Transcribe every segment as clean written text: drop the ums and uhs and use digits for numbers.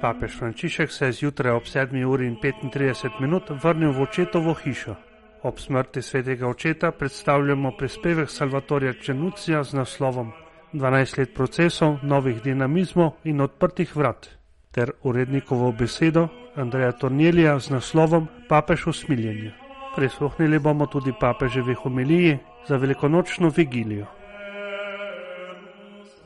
Papež Frančišek se je zjutraj ob 7:35 vrnil v očetovo hišo. Ob smrti svetega očeta predstavljamo prispevek Salvatorja Černucija z naslovom 12 let procesov, novih dinamizmov in odprtih vrat, ter urednikovo besedo Andreja Tornjelija z naslovom Papež usmiljenja. Prisluhnili bomo tudi papeževi homiliji za velikonočno vigilijo.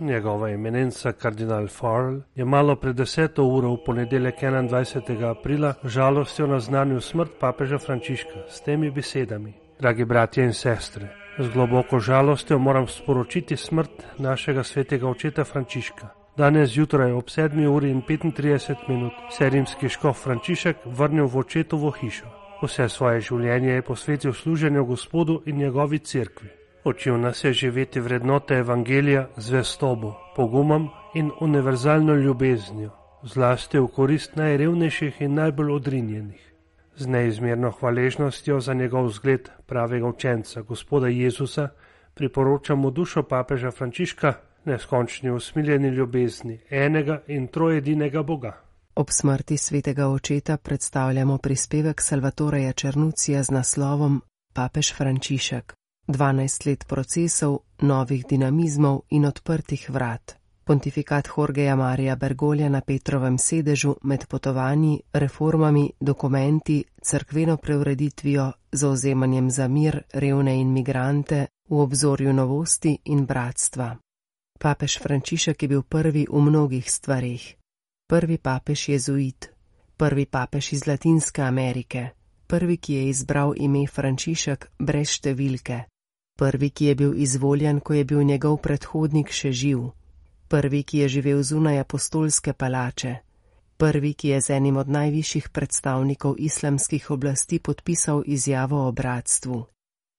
Njegova eminenca kardinal Farrell je malo pred 10. uro v ponedeljek 21. aprila žalostjo naznanil smrt papeža Frančiška s temi besedami: Dragi bratje in sestre, z globoko žalostjo moram sporočiti smrt našega svetega očeta Frančiška. Danes zjutraj ob 7:35 se je rimski škof Frančišek vrnil v očetovo hišo. Vse svoje življenje je posvetil služenju Gospodu in njegovi cerkvi. Učil nas je živeti vrednote evangelija, zvestobo, pogumom in univerzalno ljubeznijo, zlasti v korist najrevnejših in najbolj odrinjenih. Z neizmerno hvaležnostjo za njegov zgled pravega učenca, Gospoda Jezusa, priporočamo dušo papeža Frančiška, neskončni usmiljeni ljubezni enega in trojedinega Boga. Ob smrti svetega očeta predstavljamo prispevek Salvatorja Černucija z naslovom Papež Frančišek. 12 let procesov, novih dinamizmov in odprtih vrat. Pontifikat Jorgeja Marija Bergoglia na Petrovem sedežu med potovanji, reformami, dokumenti, cerkveno preureditvijo, zavzemanjem za mir, revne in migrante, v obzorju novosti in bratstva. Papež Frančišek je bil prvi v mnogih stvareh. Prvi papež jezuit, prvi papež iz Latinske Amerike, prvi, ki je izbral ime Frančišek brez številke, prvi, ki je bil izvoljen, ko je bil njegov predhodnik še živ, prvi, ki je živel zunaj apostolske palače, prvi, ki je z enim od najvišjih predstavnikov islamskih oblasti podpisal izjavo o bratstvu.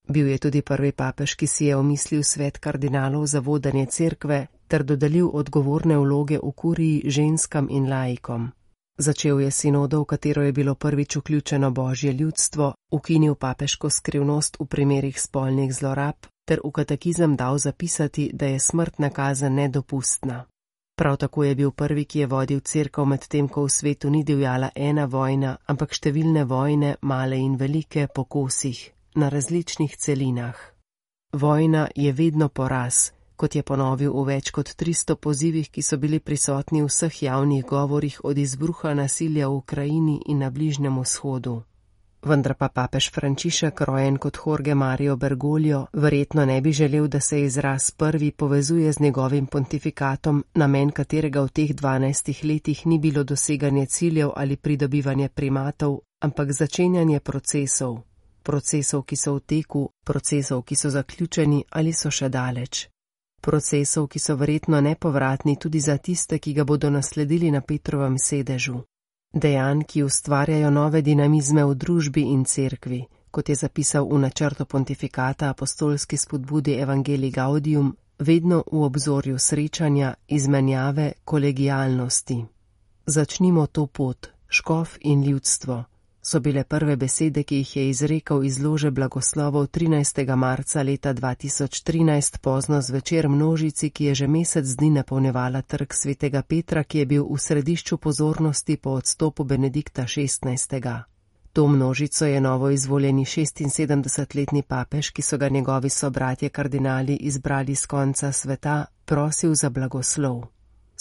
Bil je tudi prvi papež, ki si je omislil svet kardinalov za vodenje cerkve ter dodelil odgovorne vloge v kuriji ženskam in laikom. Začel je sinodo, v katero je bilo prvič vključeno božje ljudstvo, ukinil papeško skrivnost v primerih spolnih zlorab ter v katekizem dal zapisati, da je smrtna kazen nedopustna. Prav tako je bil prvi, ki je vodil cerkev med tem, ko v svetu ni divjala ena vojna, ampak številne vojne, male in velike, po kosih, na različnih celinah. Vojna je vedno poraz, kot je ponovil v več kot 300 pozivih, ki so bili prisotni v vseh javnih govorih od izbruha nasilja v Ukrajini in na Bližnjem vzhodu. Vendar pa papež Frančišek, rojen kot Jorge Mario Bergoglio, verjetno ne bi želel, da se izraz prvi povezuje z njegovim pontifikatom, namen katerega v teh 12 letih ni bilo doseganje ciljev ali pridobivanje primatov, ampak začenjanje procesov. Procesov, ki so v teku, procesov, ki so zaključeni ali so še daleč. Procesov, ki so verjetno nepovratni tudi za tiste, ki ga bodo nasledili na Petrovem sedežu. Dejanj, ki ustvarjajo nove dinamizme v družbi in cerkvi, kot je zapisal v načrtu pontifikata apostolski spodbudi Evangelii Gaudium, vedno v obzorju srečanja, izmenjave, kolegialnosti. Začnimo to pot, škof in ljudstvo, so bile prve besede, ki jih je izrekel iz lože blagoslovov 13. marca leta 2013 pozno zvečer množici, ki je že mesec dni napolnjevala trg svetega Petra, ki je bil v središču pozornosti po odstopu Benedikta XVI. To množico je novo izvoljeni 76-letni papež, ki so ga njegovi sobratje kardinali izbrali z konca sveta, prosil za blagoslov.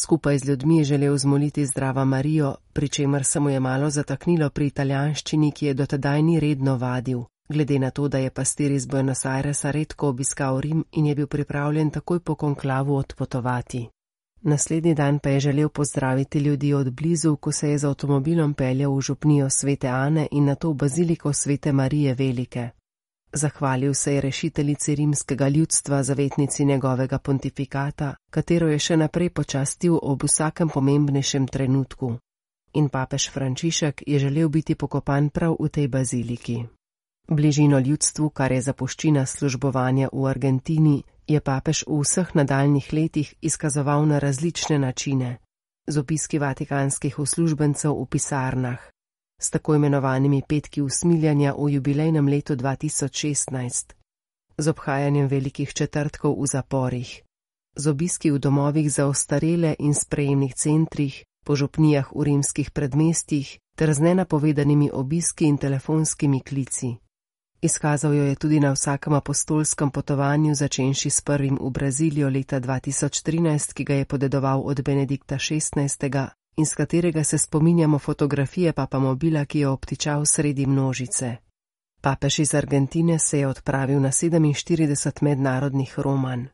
Skupaj z ljudmi je želel zmoliti Zdrava Marijo, pri čemer se mu je malo zataknilo pri italijanščini, ki je dotedaj ni redno vadil, glede na to, da je pastir iz Buenos Airesa redko obiskal Rim in je bil pripravljen takoj po konklavu odpotovati. Naslednji dan pa je želel pozdraviti ljudi od blizu, ko se je z avtomobilom peljal v župnijo Svete Ane in nato v baziliko Svete Marije Velike. Zahvalil se je rešiteljici rimskega ljudstva, zavetnici njegovega pontifikata, katero je še naprej počastil ob vsakem pomembnejšem trenutku. In papež Frančišek je želel biti pokopan prav v tej baziliki. Bližino ljudstvu, kar je zapuščina službovanja v Argentini, je papež v vseh nadaljnjih letih izkazoval na različne načine, z obiski vatikanskih uslužbencev v pisarnah, s tako imenovanimi petki usmiljanja v jubilejnem letu 2016, z obhajanjem velikih četrtkov v zaporih, z obiski v domovih za ostarele in sprejemnih centrih, po župnijah v rimskih predmestjih ter z nenapovedanimi obiski in telefonskimi klici. Izkazal jo je tudi na vsakem apostolskem potovanju, začenši s prvim v Brazilijo leta 2013, ki ga je podedoval od Benedikta XVI. In s katerega se spominjamo fotografije papamobila, ki je obtičal sredi množice. Papež iz Argentine se je odpravil na 47 mednarodnih romanj.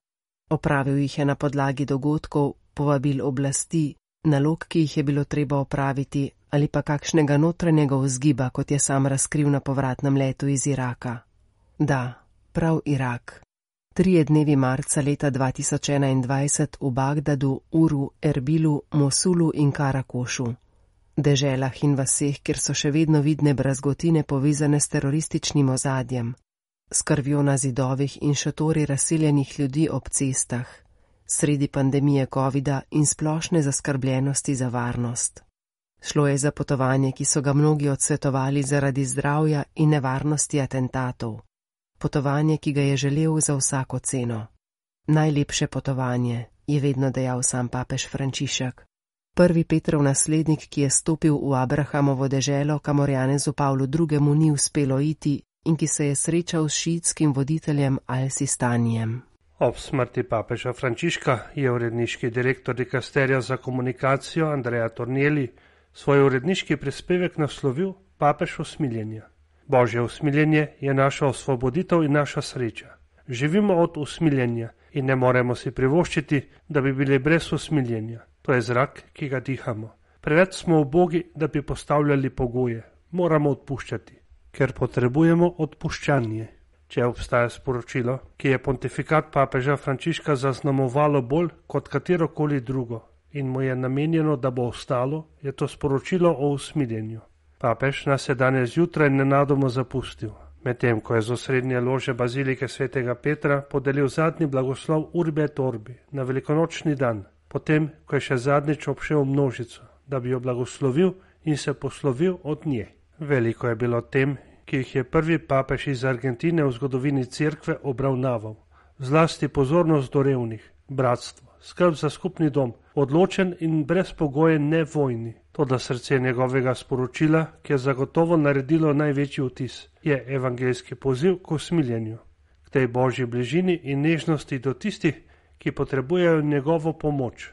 Opravil jih je na podlagi dogodkov, povabil oblasti, nalog, ki jih je bilo treba opraviti, ali pa kakšnega notranjega vzgiba, kot je sam razkril na povratnem letu iz Iraka. Da, prav Irak. 3 dnevi marca leta 2021 v Bagdadu, Uru, Erbilu, Mosulu in Karakošu. Deželah in vaseh, kjer so še vedno vidne brazgotine povezane s terorističnim ozadjem, s krvjo na zidovih in šotori razseljenih ljudi ob cestah, sredi pandemije covida in splošne zaskrbljenosti za varnost. Šlo je za potovanje, ki so ga mnogi odsvetovali zaradi zdravja in nevarnosti atentatov. Potovanje, ki ga je želel za vsako ceno. Najlepše potovanje, je vedno dejal sam papež Frančišek. Prvi Petrov naslednik, ki je stopil v Abrahamovo deželo, kamor Janezu Pavlu II. Ni uspelo iti in ki se je srečal s šiitskim voditeljem Al-Sistanijem. Ob smrti papeža Frančiška je uredniški direktor dikasterija za komunikacijo Andrea Tornielli svoj uredniški prispevek naslovil Papež usmiljenja. Božje usmiljenje je naša osvoboditev in naša sreča. Živimo od usmiljenja in ne moremo si privoščiti, da bi bili brez usmiljenja. To je zrak, ki ga dihamo. Preveč smo ubogi, da bi postavljali pogoje. Moramo odpuščati, ker potrebujemo odpuščanje. Če obstaja sporočilo, ki je pontifikat papeža Frančiška zaznamovalo bolj kot katerokoli drugo in mu je namenjeno, da bo ostalo, je to sporočilo o usmiljenju. Papež nas je danes zjutraj nenadoma zapustil, medtem ko je z osrednje lože bazilike svetega Petra podelil zadnji blagoslov Urbi et Orbi na velikonočni dan, potem ko je še zadnjič obšel množico, da bi jo blagoslovil in se poslovil od nje. Veliko je bilo tem, ki jih je prvi papež iz Argentine v zgodovini cerkve obravnaval. Zlasti pozornost do revnih, bratstvo, skrb za skupni dom, odločen in brezpogojen ne vojni. Toda srce njegovega sporočila, ki je zagotovo naredilo največji vtis, je evangeljski poziv k usmiljenju, k tej božji bližini in nežnosti do tistih, ki potrebujejo njegovo pomoč.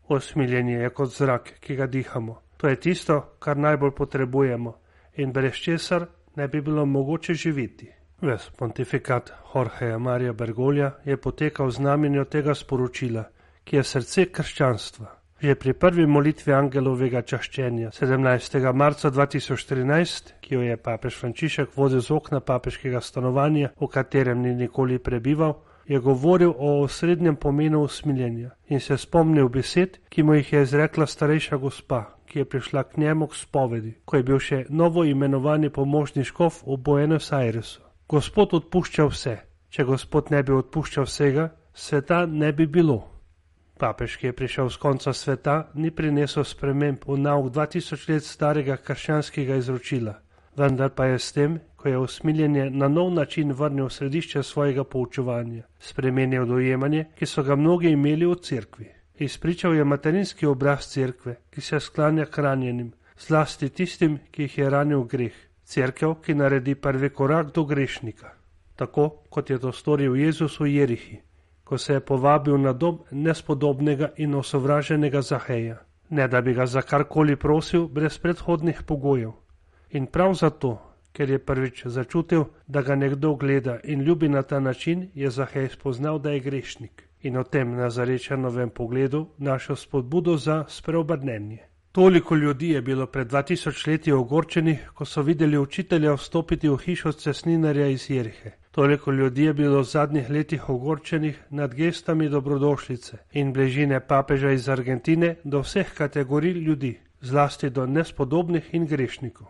Usmiljenje je kot zrak, ki ga dihamo. To je tisto, kar najbolj potrebujemo in brez česar ne bi bilo mogoče živeti. Ves pontifikat Jorgeja Marija Bergoglia je potekal v znamenju tega sporočila, ki je srce krščanstva. Že pri prvi molitvi angelovega čaščenja 17. marca 2013, ki jo je papež Frančišek vodil z okna papeškega stanovanja, v katerem ni nikoli prebival, je govoril o osrednjem pomenu usmiljenja in se spomnil besed, ki mu jih je izrekla starejša gospa, ki je prišla k njemu k spovedi, ko je bil še novo imenovani pomožni škof v Buenos Airesu. Gospod odpušča vse. Če Gospod ne bi odpuščal vsega, sveta ne bi bilo. Papež, ki je prišel z konca sveta, ni prinesel sprememb v nauk 2000 let starega krščanskega izročila, vendar pa je s tem, ko je usmiljenje na nov način vrnil v središče svojega poučevanja, spremenil dojemanje, ki so ga mnogi imeli v cerkvi. Izpričal je materinski obraz cerkve, ki se sklanja k ranjenim, zlasti tistim, ki jih je ranil greh, cerkev, ki naredi prvi korak do grešnika. Tako, kot je to storil Jezus v Jerihi, ko se je povabil na dom nespodobnega in osovraženega Zaheja, ne da bi ga za karkoli prosil brez predhodnih pogojev. In prav zato, ker je prvič začutil, da ga nekdo gleda in ljubi na ta način, je Zahej spoznal, da je grešnik in o tem Nazarečanovem pogledu našel spodbudo za spreobrnenje. Toliko ljudi je bilo pred 2000 leti ogorčenih, ko so videli učitelja vstopiti v hišo cestninarja iz Jerihe. Toliko ljudi je bilo v zadnjih letih ogorčenih nad gestami dobrodošlice in bližine papeža iz Argentine do vseh kategorij ljudi, zlasti do nespodobnih in grešnikov.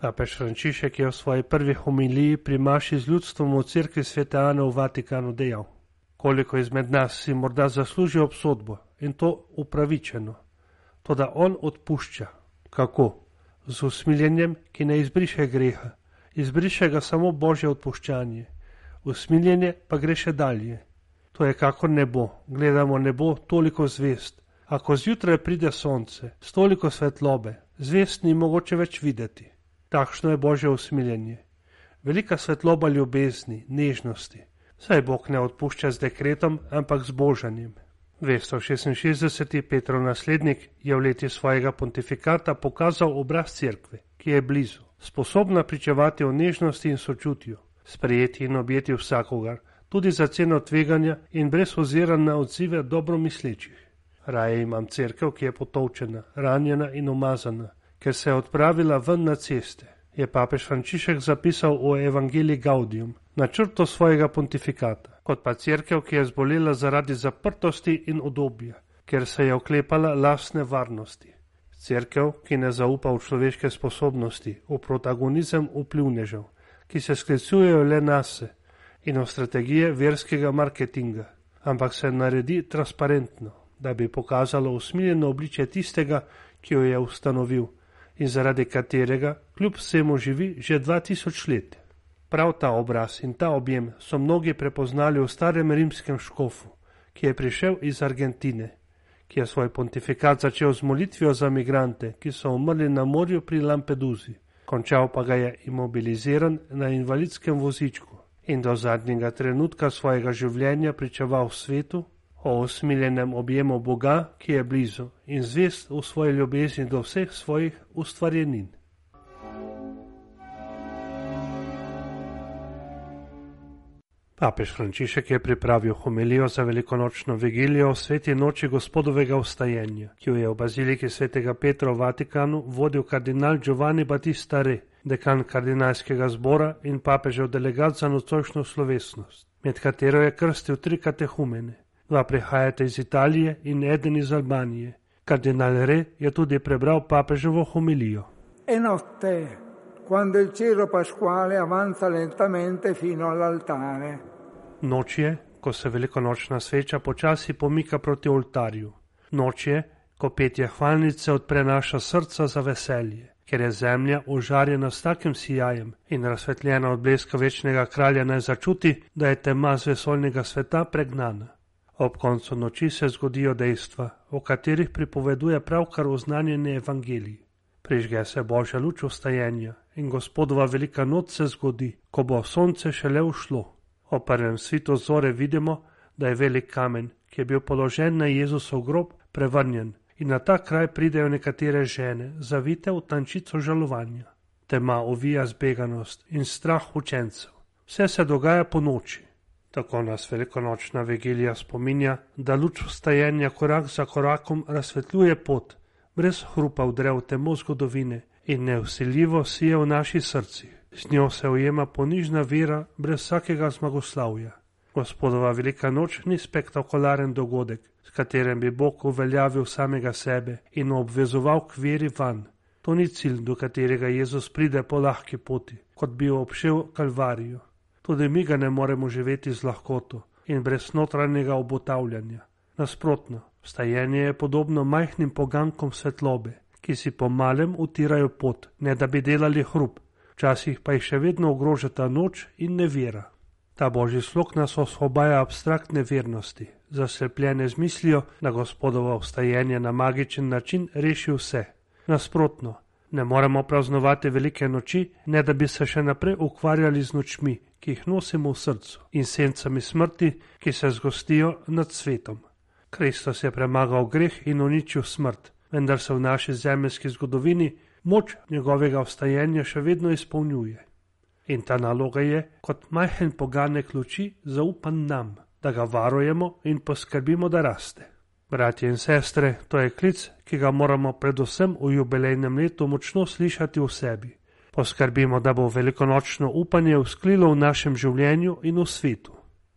Papež Frančišek je v svoji prvi homiliji pri maši z ljudstvom v cerkvi Svete Ane v Vatikanu dejal: koliko izmed nas si morda zasluži obsodbo in to upravičeno. Toda on odpušča. Kako? Z usmiljenjem, ki ne izbriše greha. Izbriše ga samo Božje odpuščanje. Usmiljenje pa gre še dalje. To je kakor nebo. Gledamo nebo toliko zvest, A ko zjutraj pride sonce, s toliko svetlobe, zvezd ni mogoče več videti. Takšno je Božje usmiljenje. Velika svetloba ljubezni, nežnosti. Saj Bog ne odpušča z dekretom, ampak z božanjem. 266. Petrov naslednik je v leti svojega pontifikata pokazal obraz cerkve, ki je blizu, sposobna pričevati o nežnosti in sočutju, sprejeti in objeti vsakogar, tudi za ceno tveganja in brez oziranja na odzive dobromislečih. Raje imam cerkev, ki je potolčena, ranjena in umazana, ker se je odpravila ven na ceste, je papež Frančišek zapisal o Evangelii Gaudium, načrtu svojega pontifikata, kot pa cerkev, ki je zbolela zaradi zaprtosti in udobja, ker se je oklepala lastne varnosti. Cerkev, ki ne zaupa v človeške sposobnosti, v protagonizem vplivnežev, ki se sklicujejo le nase in v strategije verskega marketinga, ampak se naredi transparentno, da bi pokazalo usmiljeno obličje tistega, ki jo je ustanovil in zaradi katerega kljub vsemu živi že 2000 let. Prav ta obraz in ta objem so mnogi prepoznali v starem rimskem škofu, ki je prišel iz Argentine, ki je svoj pontifikat začel z molitvijo za migrante, ki so umrli na morju pri Lampeduzi, končal pa ga je imobiliziran na invalidskem vozičku in do zadnjega trenutka svojega življenja pričeval svetu o usmiljenem objemu Boga, ki je blizu in zvest v svoji ljubezni do vseh svojih ustvarjenin. Papež Frančišek je pripravil homilijo za velikonočno vigilijo o sveti noči Gospodovega vstajenja, ki jo je v baziliki svetega Petra v Vatikanu vodil kardinal Giovanni Battista Re, dekan kardinalskega zbora in papežev delegat za nocojšnjo slovesnost, med katero je krstil 3 katehumene. 2 prihajata iz Italije in eden iz Albanije. Kardinal Re je tudi prebral papeževo homilijo. E notte, quando il cero pasquale avanza lentamente fino all'altare. Noč je, ko se velikonočna sveča počasi pomika proti oltarju. Noč je, ko petje hvalnice odpre naša srca za veselje, ker je zemlja ožarjena s takim sijajem in razsvetljena od bleska večnega kralja naj začuti, da je tema z vesoljnega sveta pregnana. Ob koncu noči se zgodijo dejstva, o katerih pripoveduje pravkar oznanjeni evangelij. Prižge se Božja luč vstajenja in Gospodova velika noč se zgodi, ko bo sonce šele ušlo. O prvem svitu zore vidimo, da je velik kamen, ki je bil položen na Jezusov grob, prevrnjen in na ta kraj pridejo nekatere žene, zavite v tančico žalovanja. Tema ovija zbeganost in strah učencev. Vse se dogaja po noči. Tako nas velikonočna vigilija spominja, da luč vstajenja korak za korakom razsvetljuje pot, brez hrupa vdre v temo zgodovine in nevsiljivo sije v naših srcih. Z njo se ujema ponižna vera brez vsakega zmagoslavja. Gospodova velika noč ni spektakularen dogodek, s katerim bi Bog uveljavil samega sebe in obvezoval k veri van. To ni cilj, do katerega Jezus pride po lahki poti, kot bi obšel Kalvarijo. Tudi mi ga ne moremo živeti z lahkoto in brez notranjega obotavljanja. Nasprotno, vstajenje je podobno majhnim pogankom svetlobe, ki si po malem utirajo pot, ne da bi delali hrup, včasih pa jih še vedno ogrožata noč in nevera. Ta božji slog nas osvobaja abstraktne vernosti, zaslepljene z mislijo, da Gospodovo vstajenje na magičen način reši vse. Nasprotno, ne moremo praznovati velike noči, ne da bi se še naprej ukvarjali z nočmi, ki jih nosimo v srcu, in sencami smrti, ki se zgostijo nad svetom. Kristus je premagal greh in uničil smrt, vendar se v naši zemeljski zgodovini moč njegovega vstajenja še vedno izpolnjuje. In ta naloga je, kot majhen poganek luči, zaupan nam, da ga varujemo in poskrbimo, da raste. Bratje in sestre, to je klic, ki ga moramo predvsem v jubilejnem letu močno slišati v sebi. Poskrbimo, da bo velikonočno upanje vzklilo v našem življenju in v svetu.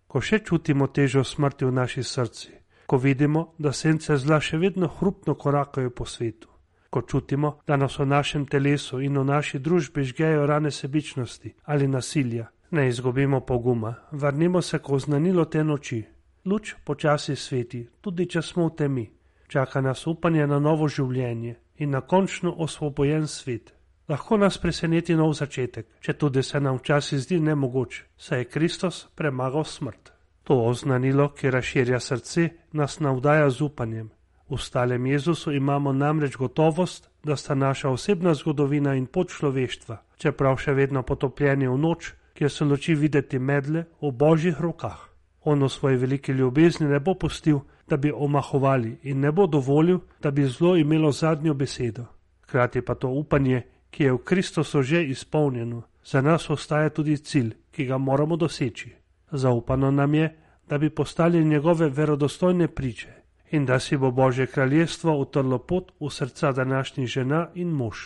Ko še čutimo težo smrti v naši srci, ko vidimo, da sence zla še vedno hrupno korakajo po svetu, ko čutimo, da nas v našem telesu in v naši družbi žgejo rane sebičnosti ali nasilja, ne izgubimo poguma, vrnimo se k oznanilo te noči. Luč počasi sveti, tudi če smo v temi. Čaka nas upanje na novo življenje in na končno osvobojen svet. Lahko nas preseneti nov začetek, če tudi se nam včasih zdi nemogoč, saj je Kristus premagal smrt. To oznanilo, ki razširja srce, nas navdaja z upanjem. V stalem Jezusu imamo namreč gotovost, da sta naša osebna zgodovina in pot človeštva, čeprav še vedno potopljeni v noč, kjer se luči videti medle, v Božjih rokah. On v svoji veliki ljubezni ne bo pustil, da bi omahovali in ne bo dovolil, da bi zlo imelo zadnjo besedo. Hkrati pa to upanje, ki je v Kristusu že izpolnjeno, za nas ostaja tudi cilj, ki ga moramo doseči. Zaupano nam je, da bi postali njegove verodostojne priče in da si bo Božje kraljestvo utrlo pot v srca današnjih žena in mož.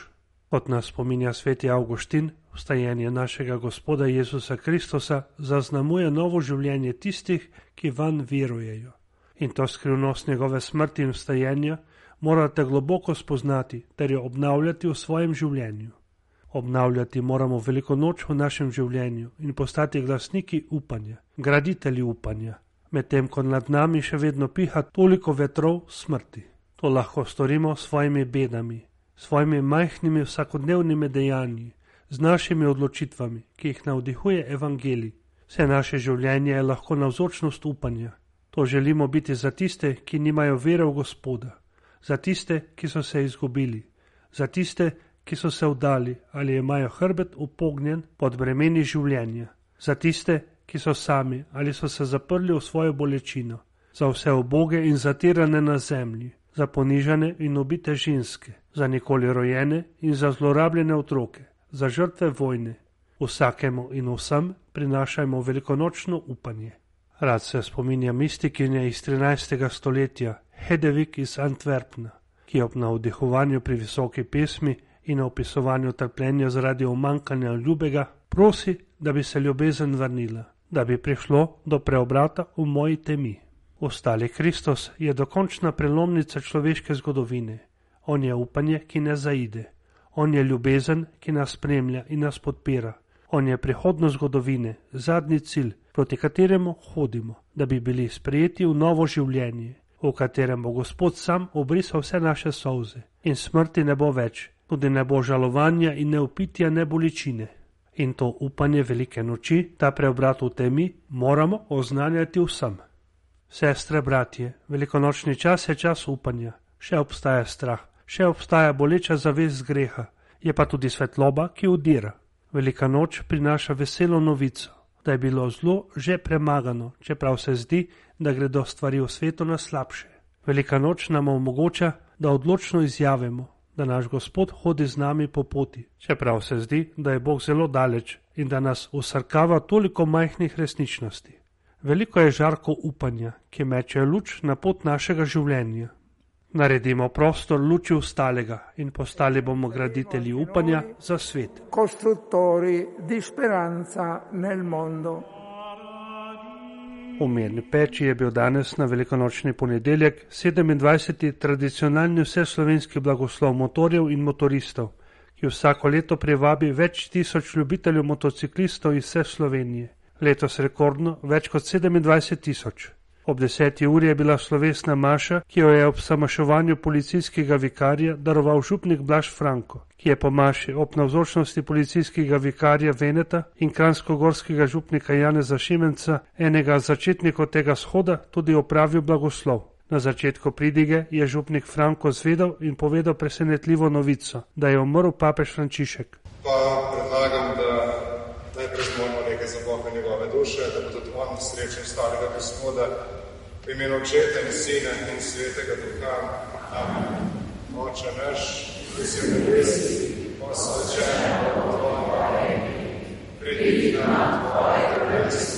Kot nas spominja sveti Avguštin, vstajenje našega Gospoda Jezusa Kristusa zaznamuje novo življenje tistih, ki vanj verujejo. In to skrivnost njegove smrti in vstajenja morate globoko spoznati ter jo obnavljati v svojem življenju. Obnavljati moramo veliko noč v našem življenju in postati glasniki upanja, graditelji upanja, medtem ko nad nami še vedno piha toliko vetrov smrti. To lahko storimo s svojimi bedami, svojimi majhnimi vsakodnevnimi dejanji, z našimi odločitvami, ki jih navdihuje evangelij. Vse naše življenje je lahko navzočnost upanja. To želimo biti za tiste, ki nimajo vere v Gospoda, za tiste, ki so se izgubili, za tiste, ki so se vdali ali imajo hrbet upognjen pod bremeni življenja, za tiste, ki so sami ali so se zaprli v svojo bolečino, za vse uboge in zatirane na zemlji, za ponižane in ubite ženske, za nikoli rojene in za zlorabljene otroke, za žrtve vojne. Vsakemu in vsem prinašajmo velikonočno upanje. Rad se spominja mistikinje iz 13. stoletja, Hedevig iz Antwerpna, ki ob navdihovanju pri visoki pesmi in opisovanju trpljenja zaradi umanjkanja ljubega prosi, da bi se ljubezen vrnila, da bi prišlo do preobrata v moji temi. Ostali Kristus je dokončna prelomnica človeške zgodovine. On je upanje, ki ne zaide. On je ljubezen, ki nas spremlja in nas podpira. On je prihodnost zgodovine, zadnji cilj, proti kateremu hodimo, da bi bili sprejeti v novo življenje, v katerem bo Gospod sam obrisal vse naše solze in smrti ne bo več, tudi ne bo žalovanja in ne upitja, ne bolečine. In to upanje velike noči, ta preobrat v temi, moramo oznanjati vsem. Sestre, bratje, velikonočni čas je čas upanja. Še obstaja strah, še obstaja boleča zavest greha, je pa tudi svetloba, ki udira. Velika noč prinaša veselo novico, da je bilo zlo že premagano, čeprav se zdi, da gredo stvari v svetu na slabše. Velika noč nam omogoča, da odločno izjavimo, da naš Gospod hodi z nami po poti, čeprav se zdi, da je Bog zelo daleč in da nas usrkava toliko majhnih resničnosti. Veliko je žarko upanja, ki meče luč na pot našega življenja. Naredimo prostor luči ostalega in postali bomo graditelji upanja za svet. Costruttori di speranza nel mondo. V Mirni peči je bil danes na velikonočni ponedeljek 27. tradicionalni vseslovenski blagoslov motorjev in motoristov, ki vsako leto privabi več tisoč ljubiteljev motociklistov iz vse Slovenije. Letos rekordno več kot 27 tisoč. Ob 10. uri je bila slovesna maša, ki jo je ob samaševanju policijskega vikarja daroval župnik Blaž Franko, ki je po maši ob navzočnosti policijskega vikarja Veneta in kranjskogorskega župnika Janeza Šimenca, enega začetnikov tega shoda, tudi opravil blagoslov. Na začetku pridige je župnik Franko zvedel in povedal presenetljivo novico, da je umrl papež Frančišek. Pa predlagam, da najprej zmolimo nekaj za Boga njegove duše, da bo tudi on srečen stalega Gospoda, v imenu Očeta in Sina in Svetega Duha. Amen. Oče naš, ki si v nebesih, posvečen bo tvoje ime, pridi k nam tvoje kraljestvo.